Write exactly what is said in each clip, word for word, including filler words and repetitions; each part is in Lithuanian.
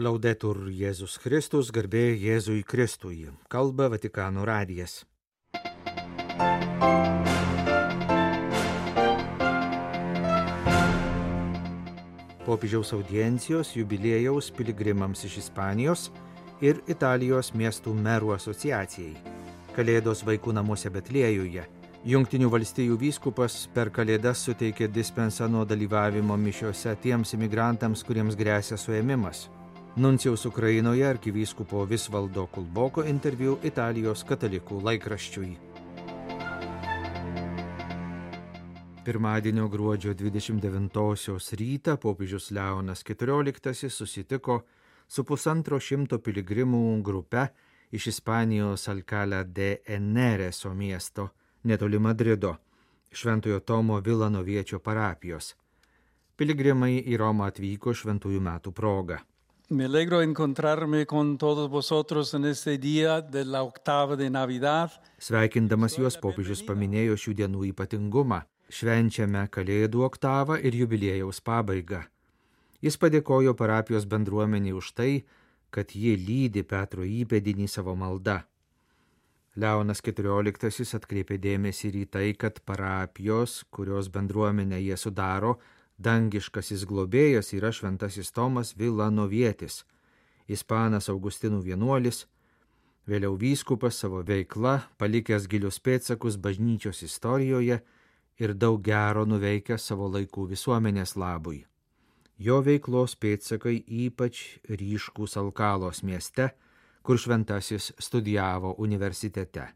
Laudetur Jėzus Kristus, garbė Jėzui Kristui. Kalba Vatikano radijas. Popiežiaus audiencijos jubiliejaus piligrimams iš Ispanijos ir Italijos miestų merų asociacijai. Kalėdos vaikų namuose Betliejuje. Jungtinių valstijų vyskupas per Kalėdas suteikė dispensą nuo dalyvavimo mišiose tiems imigrantams, kuriems gresia suėmimas. Nuncijaus Ukrainoje arkivyskupo Visvaldo Kulboko interviu Italijos katalikų laikraščiui. Pirmadienio gruodžio dvidešimt devintosios rytą popiežius Leonas keturioliktasis susitiko su pusantro šimto piligrimų grupe iš Ispanijos Alcalá de Henareso miesto, netoli Madrido, Šventojo Tomo Vilanoviečio parapijos. Piligrimai į Romą atvyko šventųjų metų proga. Me alegro encontrarme con todos vosotros en este día de la octava de Navidad. Sveikindamas juos popiežius paminėjo šių dienų ypatingumą. Švenčiame Kalėdų oktavą ir jubiliejaus pabaigą. Jis padėkojo parapijos bendruomeniai už tai, kad ji lydi Petro įpėdinį savo malda. Leonas keturioliktasis atkreipė dėmesį ir į tai, kad parapijos, kurios bendruomenę jie sudaro, dangiškasis globėjas yra šventasis Tomas Vilanovietis, ispanas Augustinų vienuolis, vėliau vyskupas savo veikla, palikęs gilius pėdsakus bažnyčios istorijoje ir daug gero nuveikęs savo laikų visuomenės labui. Jo veiklos pėdsakai ypač ryškūs Alkalos mieste, kur šventasis studijavo universitete.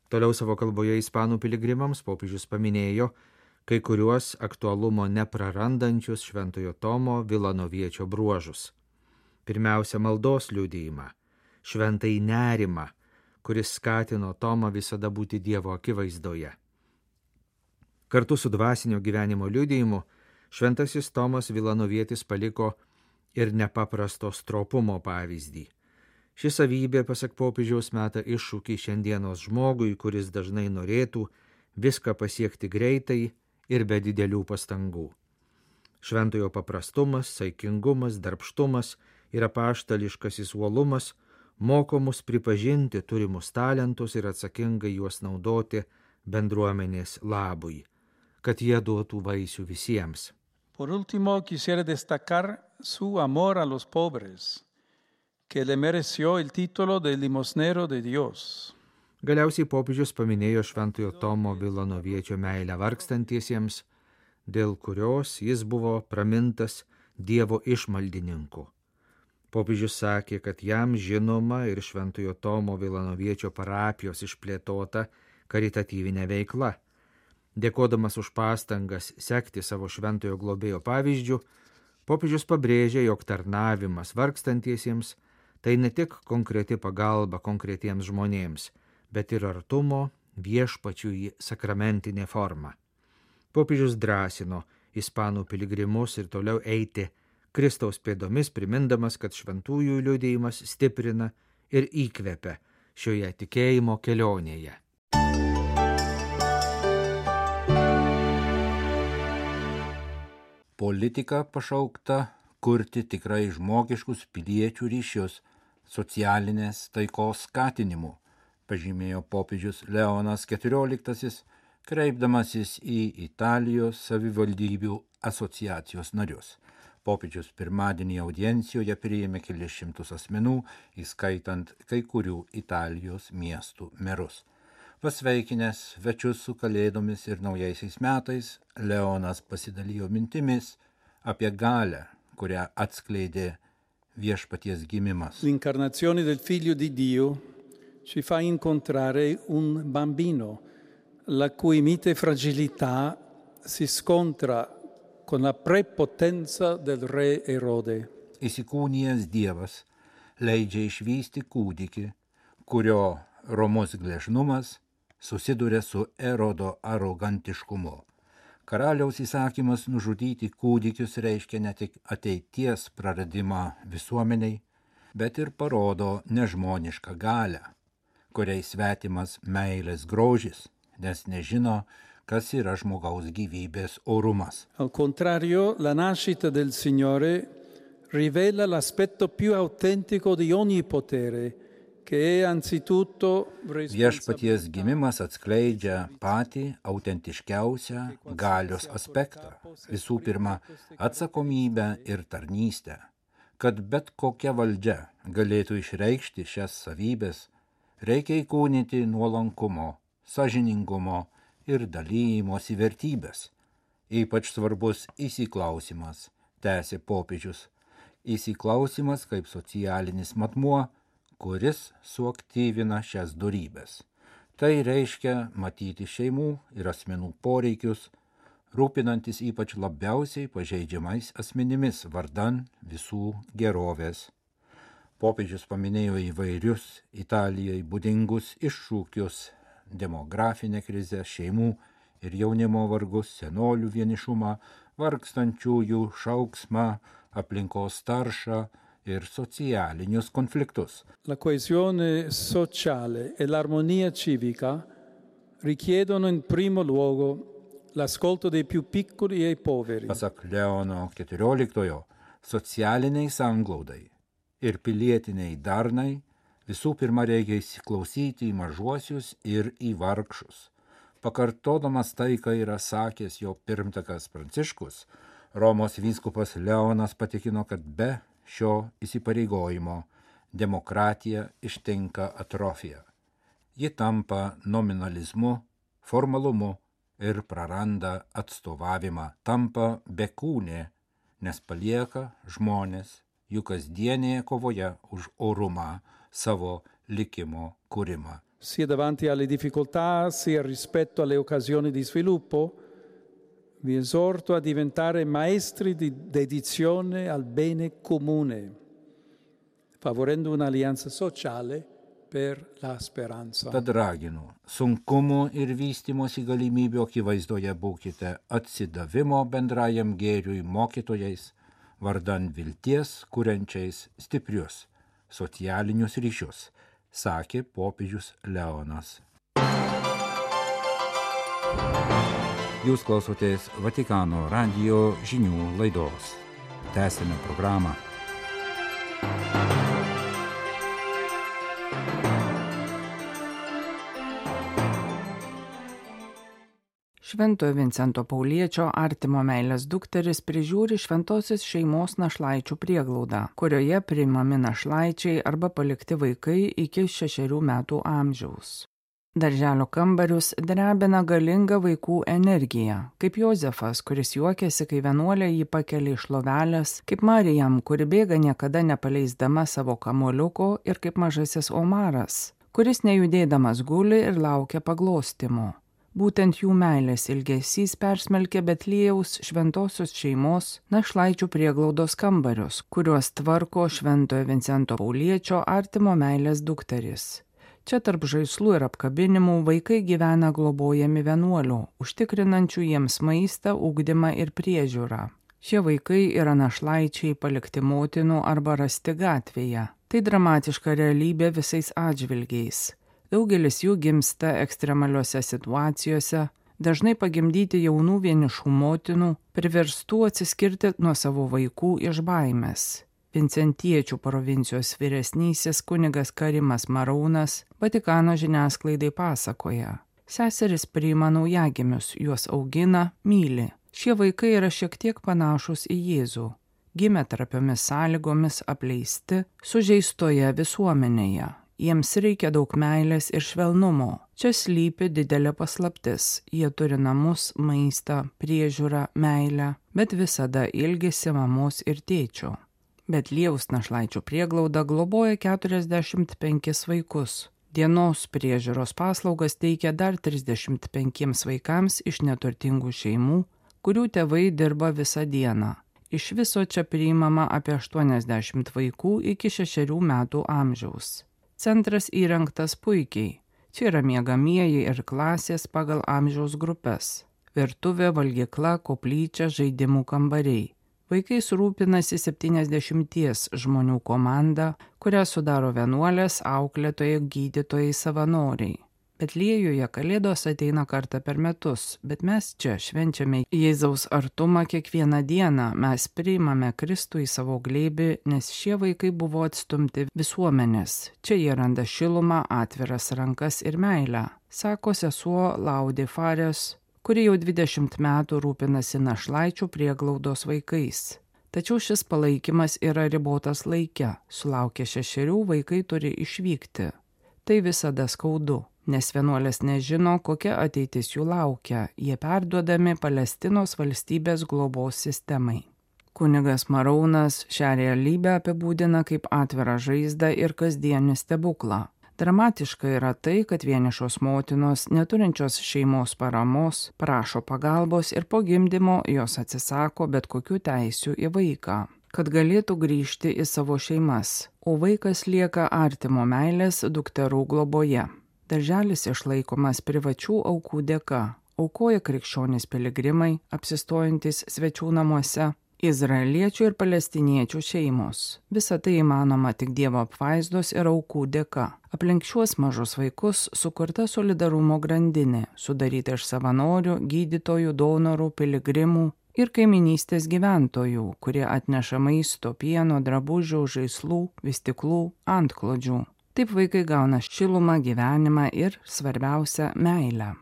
Toliau savo kalboje ispanų piligrimams popiežius paminėjo kai kuriuos aktualumo neprarandančius Šventojo Tomo Vilanoviečio bruožus. Pirmiausia, maldos liudijimą, šventai nerimą, kuris skatino Tomą visada būti Dievo akivaizdoje. Kartu su dvasinio gyvenimo liudijimu šventasis Tomas Vilanovietis paliko ir nepaprasto stropumo pavyzdį. Ši savybė, pasak popiežiaus, meta iššūkį šiandienos žmogui, kuris dažnai norėtų viską pasiekti greitai ir be didelių pastangų. Šventojo paprastumas, saikingumas, darbštumas ir apaštališkasis uolumas moko mus pripažinti turimus talentus ir atsakingai juos naudoti bendruomenės labui, kad jie duotų vaisių visiems. Por último, quisiera destacar su amor a los pobres, que le mereció el título de limosnero de Dios. Galiausiai popiežius paminėjo Šventojo Tomo Vilanoviečio meilę vargstantiesiems, dėl kurios jis buvo pramintas Dievo išmaldininku. Popiežius sakė, kad jam žinoma ir Šventojo Tomo Vilanoviečio parapijos išplėtota karitatyvinė veikla. Dėkodamas už pastangas sekti savo šventojo globėjo pavyzdžių, popiežius pabrėžė, jog tarnavimas vargstantiesiems tai ne tik konkreti pagalba konkretiems žmonėms, bet ir artumo viešpačiui sakramentinė forma. Popiežius drąsino ispanų piligrimus ir toliau eiti Kristaus pėdomis, primindamas, kad šventųjų liudijimas stiprina ir įkvepia šioje tikėjimo kelionėje. Politika pašaukta kurti tikrai žmogiškus piliečių ryšius, socialinės taikos skatinimu, pažymėjo popiežius Leonas keturioliktasis, kreipdamasis į Italijos savivaldybių asociacijos narius. Popiežius pirmadienį audiencijoje priėmė kelis šimtus asmenų, įskaitant kai kurių Italijos miestų merus. Pasveikinęs svečius su Kalėdomis ir naujaisiais metais, Leonas pasidalijo mintimis apie galią, kurią atskleidė viešpaties gimimas. L'incarnazione del Figlio di Dio ci fa incontrare un bambino, la cui mite fragilità si scontra con la prepotenza del re Erode. Įsikūnijęs Dievas leidžia išvysti kūdikį, kurio romus gležnumas susiduria su Erodo arogantiškumu. Karaliaus įsakymas nužudyti kūdikius reiškia ne tik ateities praradimą visuomeniai, bet ir parodo nežmonišką galią, kuriai svetimas meilės grožis, nes nežino, kas yra žmogaus gyvybės orumas. Al contrario, la nascita del Signore rivela l'aspetto più autentico di ogni potere, che è anzitutto Viešpaties gimimas atskleidžia patį autentiškiausią galios aspektą. Visų pirma, atsakomybę ir tarnystę. Kad bet kokia valdžia galėtų išreikšti šias savybės, reikia įkūnyti nuolankumo, sąžiningumo ir dalymosi vertybės. Ypač svarbus įsiklausimas, tęsė popiežius. Įsiklausimas kaip socialinis matmuo, kuris suaktyvina šias dorybės. Tai reiškia matyti šeimų ir asmenų poreikius, rūpinantis ypač labiausiai pažeidžiamais asmenimis vardan visų gerovės. Popiežius paminėjo įvairius Italijai būdingus iššūkius, demografinę krizę, šeimų ir jaunimo vargus, senolių vienišumą, vargstančiųjų šauksmą, aplinkos taršą ir socialinius konfliktus. La coesione sociale e l'armonia civica richiedono in primo luogo l'ascolto dei più piccoli e poveri. Pasak Leono keturioliktojo, socialiniai sanglaudai ir pilietiniai darnai visų pirma reikia įsiklausyti į mažuosius ir į vargšus. Pakartodamas tai, ką yra sakęs jo pirmtakas Pranciškus, Romos vyskupas Leonas patikino, kad be šio įsipareigojimo demokratija ištinka atrofija. Ji tampa nominalizmu, formalumu ir praranda atstovavimą, tampa bekūnė, nes palieka žmonės jų kasdienėje kovoje už orumą, savo likimo kūrimą. Sia davanti alle difficoltà, sia rispetto alle occasioni di sviluppo, vi esorto a diventare maestri di dedizione al bene comune, favorendo un'alleanza sociale per la speranza. Tad raginu, sunkumų ir vystymosi galimybių akivaizdoje būkite atsidavimo bendrajam gėriui mokytojais, vardan vilties kuriančiais stiprius socialinius ryšius, sakė popiežius Leonas. Jūs klausotės Vatikano radijo žinių laidos. Tęsime programą. Šventojo Vincento Pauliečio artimo meilės dukteris prižiūri šventosios šeimos našlaičių prieglaudą, kurioje priimami našlaičiai arba palikti vaikai iki šešerių metų amžiaus. Darželio kambarius drebina galinga vaikų energija, kaip Jozefas, kuris juokėsi, kai vienuolė jį pakelia iš lovelės, kaip Marijam, kuri bėga niekada nepaleisdama savo kamuoliuko, ir kaip mažasis Omaras, kuris nejudėdamas guli ir laukia paglostimo. Būtent jų meilės ilgesys persmelkė Betliejaus šventosios šeimos našlaičių prieglaudos kambarius, kuriuos tvarko Šventojo Vincento Pauliečio artimo meilės dukteris. Čia tarp žaislų ir apkabinimų vaikai gyvena globojami vienuolių, užtikrinančių jiems maistą, ugdymą ir priežiūrą. Šie vaikai yra našlaičiai palikti motinų arba rasti gatvėje. Tai dramatiška realybė visais atžvilgiais. Daugelis jų gimsta ekstremaliuose situacijose, dažnai pagimdyti jaunų vienišų motinų, priverstų atsiskirti nuo savo vaikų iš baimės. Vincentiečių provincijos vyresnysis kunigas Karimas Maraunas Vatikano žiniasklaidai pasakoja. Seseris priima naujagimius, juos augina, myli. Šie vaikai yra šiek tiek panašus į Jėzų. Gimė trapiomis sąlygomis, apleisti, sužeistoje visuomenėje. Jiems reikia daug meilės ir švelnumo. Čia slypi didelė paslaptis. Jie turi namus, maistą, priežiūrą, meilę, bet visada ilgisi mamos ir tėčio. Betliejaus našlaičių prieglauda globoja keturiasdešimt penkis vaikus. Dienos priežiūros paslaugas teikia dar trisdešimt penkiems vaikams iš neturtingų šeimų, kurių tėvai dirba visą dieną. Iš viso čia priimama apie aštuoniasdešimt vaikų iki šešerių metų amžiaus. Centras įrengtas puikiai. Čia yra miegamieji ir klasės pagal amžiaus grupes. Virtuvė, valgykla, koplyčia, žaidimų kambariai. Vaikais rūpinasi septyniasdešimties žmonių komanda, kurią sudaro vienuolės, auklėtojai, gydytojai, savanoriai. Betliejuje Kalėdos ateina kartą per metus, bet mes čia švenčiame Jėzaus artumą kiekvieną dieną, mes priimame Kristų į savo glėbį, nes šie vaikai buvo atstumti visuomenės. Čia jie randa šilumą, atviras rankas ir meilę, sako sesuo Laudė Fares, kuri jau dvidešimt metų rūpinasi našlaičių prieglaudos vaikais. Tačiau šis palaikymas yra ribotas laike, sulaukę šešerių vaikai turi išvykti. Tai visada skaudu. Nes vienuolės nežino, kokia ateitis jų laukia, jie perduodami Palestinos valstybės globos sistemai. Kunigas Maraunas šią realybę apibūdina kaip atvirą žaizdą ir kasdienį stebuklą. Dramatiška yra tai, kad vienišos motinos, neturinčios šeimos paramos, prašo pagalbos ir po gimdymo jos atsisako bet kokių teisių į vaiką, kad galėtų grįžti į savo šeimas, o vaikas lieka artimo meilės dukterų globoje. Darželis išlaikomas privačių aukų dėka, aukoja krikščionys piligrimai, apsistojantis svečių namuose, izraeliečių ir palestiniečių šeimos. Visa tai įmanoma tik Dievo apvaizdos ir aukų dėka. Aplink šiuos mažus vaikus sukurta solidarumo grandinė, sudaryta iš savanorių, gydytojų, donorų, piligrimų ir kaiminystės gyventojų, kurie atneša maisto, pieno, drabužių, žaislų, vystiklų, antklodžių. Taip vaikai gauna šilumą, gyvenimą ir, svarbiausia, meilę.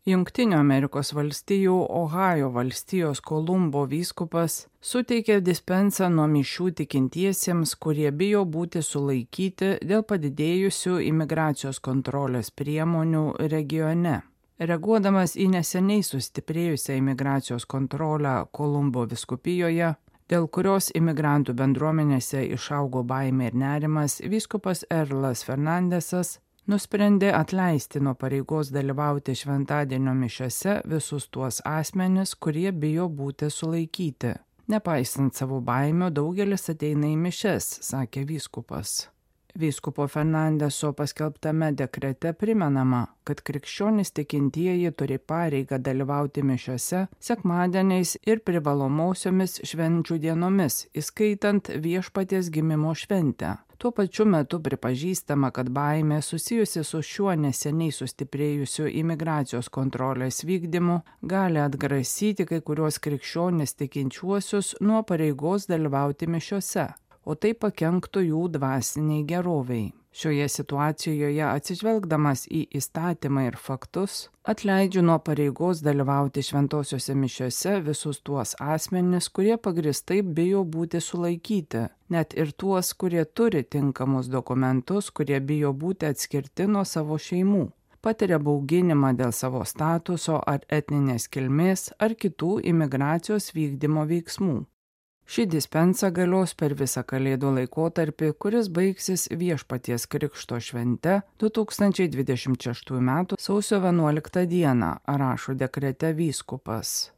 Jungtinių Amerikos valstijų Ohajo valstijos Kolumbo vyskupas suteikė dispensą nuo mišių tikintiesiems, kurie bijo būti sulaikyti dėl padidėjusių imigracijos kontrolės priemonių regione. Reaguodamas į neseniai sustiprėjusią imigracijos kontrolę Kolumbo vyskupijoje, dėl kurios imigrantų bendruomenėse išaugo baimė ir nerimas, vyskupas Erlas Fernandesas nusprendė atleisti nuo pareigos dalyvauti šventadienio mišiose visus tuos asmenis, kurie bijo būti sulaikyti. Nepaisant savo baimių, daugelis ateina į mišias, sakė vyskupas. Vyskupo Fernandeso paskelbtame dekrete primenama, kad krikščionys tikintieji turi pareigą dalyvauti mišiose sekmadieniais ir privalomosiomis švenčių dienomis, įskaitant Viešpaties gimimo šventę. Tuo pačiu metu pripažįstama, kad baimė susijusi su šiuo neseniai sustiprėjusiu imigracijos kontrolės vykdymu gali atgrasyti kai kuriuos krikščionys tikinčiuosius nuo pareigos dalyvauti mišiose, o tai pakenktų jų dvasiniai geroviai. Šioje situacijoje, atsižvelgdamas į įstatymą ir faktus, atleidžiu nuo pareigos dalyvauti šventosiuose mišiose visus tuos asmenis, kurie pagristai bijo būti sulaikyti, net ir tuos, kurie turi tinkamus dokumentus, kurie bijo būti atskirti nuo savo šeimų, patiria bauginimą dėl savo statuso ar etninės kilmės ar kitų imigracijos vykdymo veiksmų. Ši dispensa galios per visą Kalėdų laikotarpį, kuris baigsis Viešpaties Krikšto švente du tūkstančiai dvidešimt šeštųjų metų sausio vienuoliktą dieną, rašo dekrete vyskupas.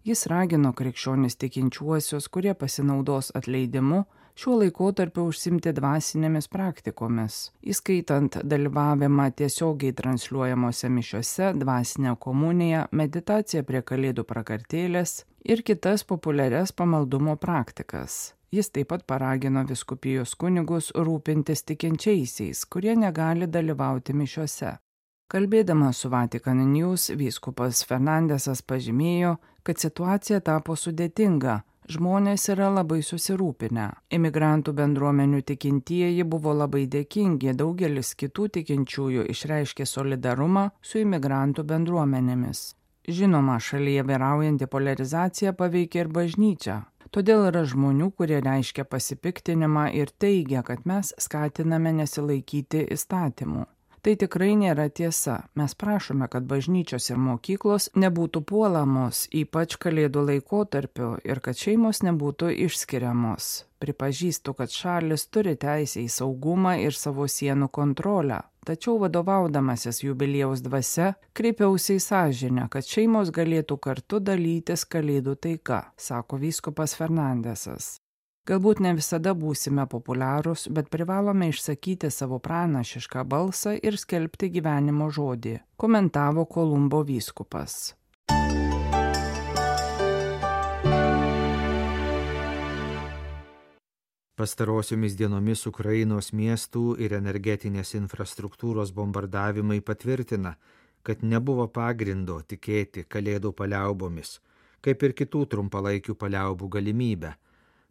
Jis ragino krikščionis tikinčiuosius, kurie pasinaudos atleidimu, šiuo laikotarpiu užsimti dvasinėmis praktikomis, įskaitant dalyvavimą tiesiogiai transliuojamose mišiose, dvasinę komuniją, meditaciją prie Kalėdų prakartėlės ir kitas populiarias pamaldumo praktikas. Jis taip pat paragino vyskupijos kunigus rūpintis tikinčiaisiais, kurie negali dalyvauti mišiose. Kalbėdamas su Vatican News, vyskupas Fernandesas pažymėjo, kad situacija tapo sudėtinga. Žmonės yra labai susirūpinę. Imigrantų bendruomenių tikintieji buvo labai dėkingi, daugelis kitų tikinčiųjų išreiškė solidarumą su imigrantų bendruomenėmis. Žinoma, šalyje vyraujanti poliarizacija paveikia ir bažnyčią. Todėl yra žmonių, kurie reiškia pasipiktinimą ir teigia, kad mes skatiname nesilaikyti įstatymų. Tai tikrai nėra tiesa. Mes prašome, kad bažnyčios ir mokyklos nebūtų puolamos, ypač Kalėdų laikotarpiu, ir kad šeimos nebūtų išskiriamos. Pripažįstu, kad šalis turi teisę į saugumą ir savo sienų kontrolę. Tačiau vadovaudamasis jubiliejaus dvasia, kreipiausi į sąžinę, kad šeimos galėtų kartu dalytis Kalėdų taika, sako vyskupas Fernandesas. Galbūt ne visada būsime populiarūs, bet privalome išsakyti savo pranašišką balsą ir skelbti gyvenimo žodį, komentavo Kolumbo vyskupas. Pastarosiomis dienomis Ukrainos miestų ir energetinės infrastruktūros bombardavimai patvirtina, kad nebuvo pagrindo tikėti kalėdų paliaubomis, kaip ir kitų trumpalaikių paliaubų galimybę.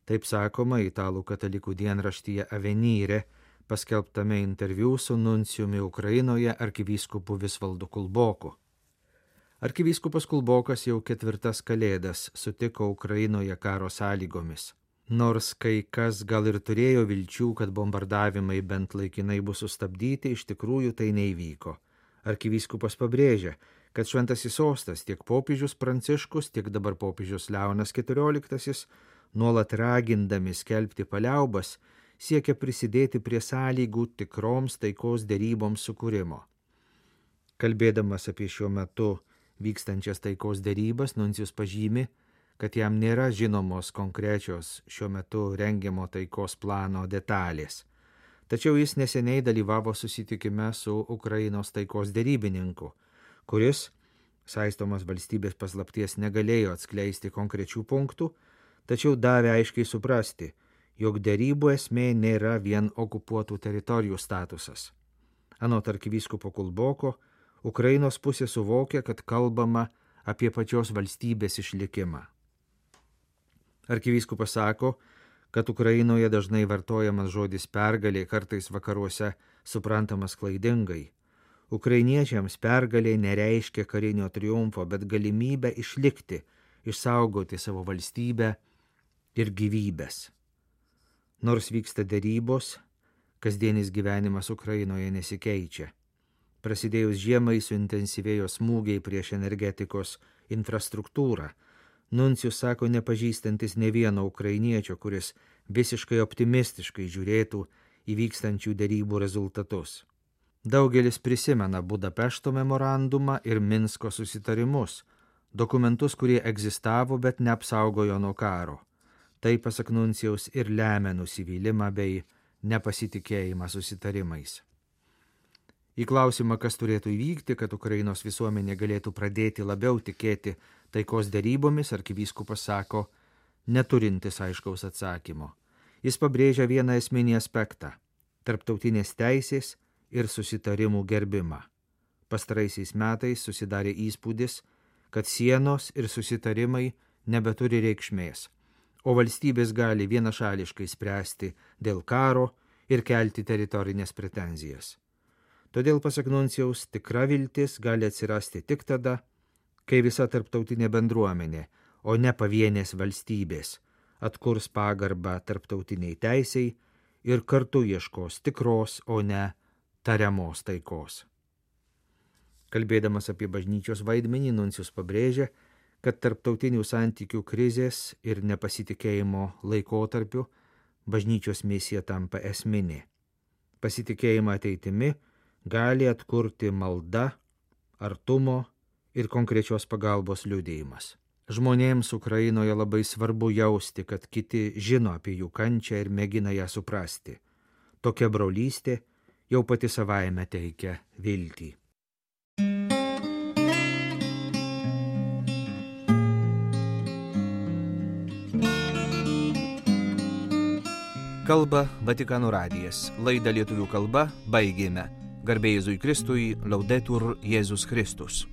Taip sakoma italų katalikų dienraštyje Avvenire, paskelbtame interviu su nuncijumi Ukrainoje arkivyskupu Visvaldu Kulboku. Arkivyskupas Kulbokas jau ketvirtas kalėdas sutiko Ukrainoje karo sąlygomis. Nors kai kas gal ir turėjo vilčių, kad bombardavimai bent laikinai bus sustabdyti, iš tikrųjų tai neįvyko. Arkivyskupas pabrėžia, kad šventasis sostas tiek popiežius Pranciškus, tiek dabar popiežius Leonas keturioliktasis, nuolat ragindami skelbti paliaubas, siekia prisidėti prie sąlygų tikroms taikos deryboms sukūrimo. Kalbėdamas apie šiuo metu vykstančias taikos derybas, nuncijus pažymi, kad jam nėra žinomos konkrečios šiuo metu rengiamo taikos plano detalės. Tačiau jis neseniai dalyvavo susitikime su Ukrainos taikos derybininku, kuris, saistomas valstybės paslapties, negalėjo atskleisti konkrečių punktų, tačiau davė aiškiai suprasti, jog derybų esmė nėra vien okupuotų teritorijų statusas. Anot arkivyskupo Kulboko, Ukrainos pusė suvokia, kad kalbama apie pačios valstybės išlikimą. Arkivyskupas sako, kad Ukrainoje dažnai vartojamas žodis pergalė, kartais vakaruose suprantamas klaidingai. Ukrainiečiams pergalė nereiškia karinio triumfo, bet galimybę išlikti, išsaugoti savo valstybę ir gyvybės. Nors vyksta derybos, kasdienis gyvenimas Ukrainoje nesikeičia. Prasidėjus žiemai suintensyvėjo smūgiai prieš energetikos infrastruktūrą. Nuncijus sako nepažįstantis ne vieno ukrainiečio, kuris visiškai optimistiškai žiūrėtų į vykstančių derybų rezultatus. Daugelis prisimena Budapešto memorandumą ir Minsko susitarimus, dokumentus, kurie egzistavo, bet neapsaugojo nuo karo. Tai, pasak nuncijaus, ir lemia nusivylimą bei nepasitikėjimą susitarimais. Į klausimą, kas turėtų įvykti, kad Ukrainos visuomenė galėtų pradėti labiau tikėti taikos derybomis, arkivyskupas sako, neturintis aiškaus atsakymo. Jis pabrėžia vieną esminį aspektą – tarptautinės teisės ir susitarimų gerbimą. Pastaraisiais metais susidarė įspūdis, kad sienos ir susitarimai nebeturi reikšmės, o valstybės gali vienašališkai spręsti dėl karo ir kelti teritorinės pretenzijas. Todėl, pasak nuncijaus, tikra viltis gali atsirasti tik tada, kai visa tarptautinė bendruomenė, o ne pavienės valstybės, atkurs pagarbą tarptautiniai teisei ir kartu ieškos tikros, o ne tariamos taikos. Kalbėdamas apie bažnyčios vaidmenį, nuncijus pabrėžia, kad tarptautinių santykių krizės ir nepasitikėjimo laikotarpiu bažnyčios misija tampa esminė. Pasitikėjimą ateitimi gali atkurti malda, artumo ir konkrečios pagalbos liudijimas. Žmonėms Ukrainoje labai svarbu jausti, kad kiti žino apie jų kančią ir mėgina ją suprasti. Tokia brolystė jau pati savaime teikia viltį. Kalba Vatikano radijas. Laidą lietuvių kalba baigėme. Garbė Jėzui Kristui, Laudetur Jėzus Kristus.